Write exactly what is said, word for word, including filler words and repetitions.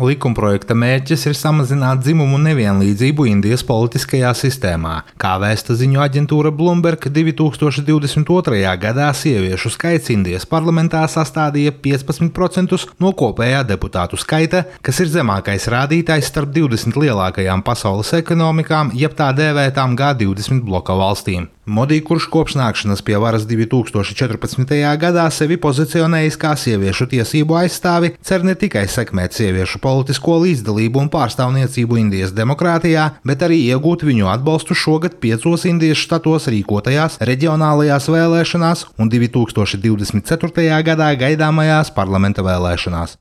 Likumprojekta mērķis ir samazināt dzimumu nevienlīdzību Indijas politiskajā sistēmā. Kā vēsta ziņu aģentūra Bloomberg, divi tūkstoši divdesmit otrajā gadā sieviešu skaits Indijas parlamentā sastādīja piecpadsmit procentus no kopējā deputātu skaita, kas ir zemākais rādītājs starp divdesmit lielākajām pasaules ekonomikām, jeb tā dēvētām G divdesmit bloka valstīm. Modi, kurš kopš nākšanas pie varas divi tūkstoši četrpadsmitajā gadā sevi pozicionējis kā sieviešu tiesību aizstāvi, cer ne tikai sekmēt sieviešu politisko līdzdalību un pārstāvniecību Indijas demokrātijā, bet arī iegūt viņu atbalstu šogad piecos Indijas štatos rīkotajās reģionālajās vēlēšanās un divi tūkstoši divdesmit ceturtajā gadā gaidāmajās parlamenta vēlēšanās.